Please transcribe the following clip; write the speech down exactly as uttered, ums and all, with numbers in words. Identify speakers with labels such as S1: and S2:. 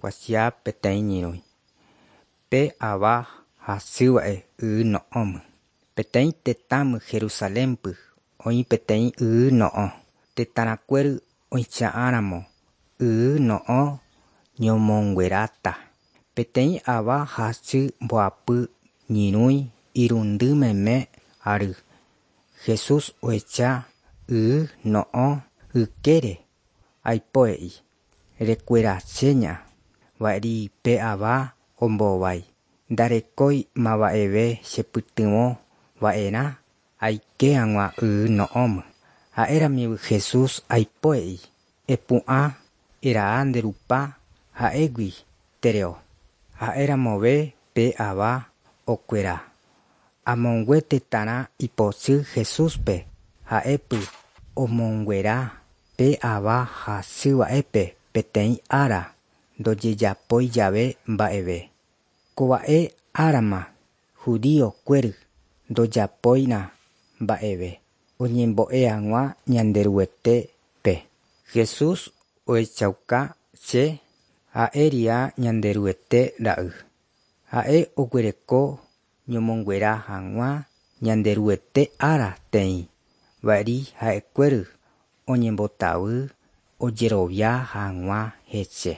S1: Kuatia peteĩ ñyrõi. Pe ava hasýva'e y no'õme. Peteĩ tetãme Jerusalénpe oĩ peteĩ y no'õ. Tetãrãkuéry oicha'ãramo y no'õ ñomongueráta. Peteĩ ava hasy mbohapy ñyrõi irundy meme ary. Jesús ohecha y no'õ ykére aipo he'i: Rekueraséña. Va'eri pe ava ombohovái: Ndarekói mavaveve chepytyvõ va'erã aike hag̃ua y no'õme. Ha'éramive Jesús aipo he'i: Epu'ã eraha nde rupa ha egui tereho. Ha'eramove pe ava okuera. Amongue tetãrã ipochy Jesúspe ha'épy omonguera pe ava hasýva'épe peteĩ ára ndojejapói jave mba'eve. Kova'e árama judío-kuéry ndojapóirã mba'eve oñembo'e hag̃ua Ñanderuetépe. Jesús ohechauka che ha'ériha Ñanderuete ra'y. Ha'e oguereko ñomonguera hag̃ua Ñanderuete ára teĩ. Va'eri ha'ekuéry oñembotavy ojerovia hag̃ua hese.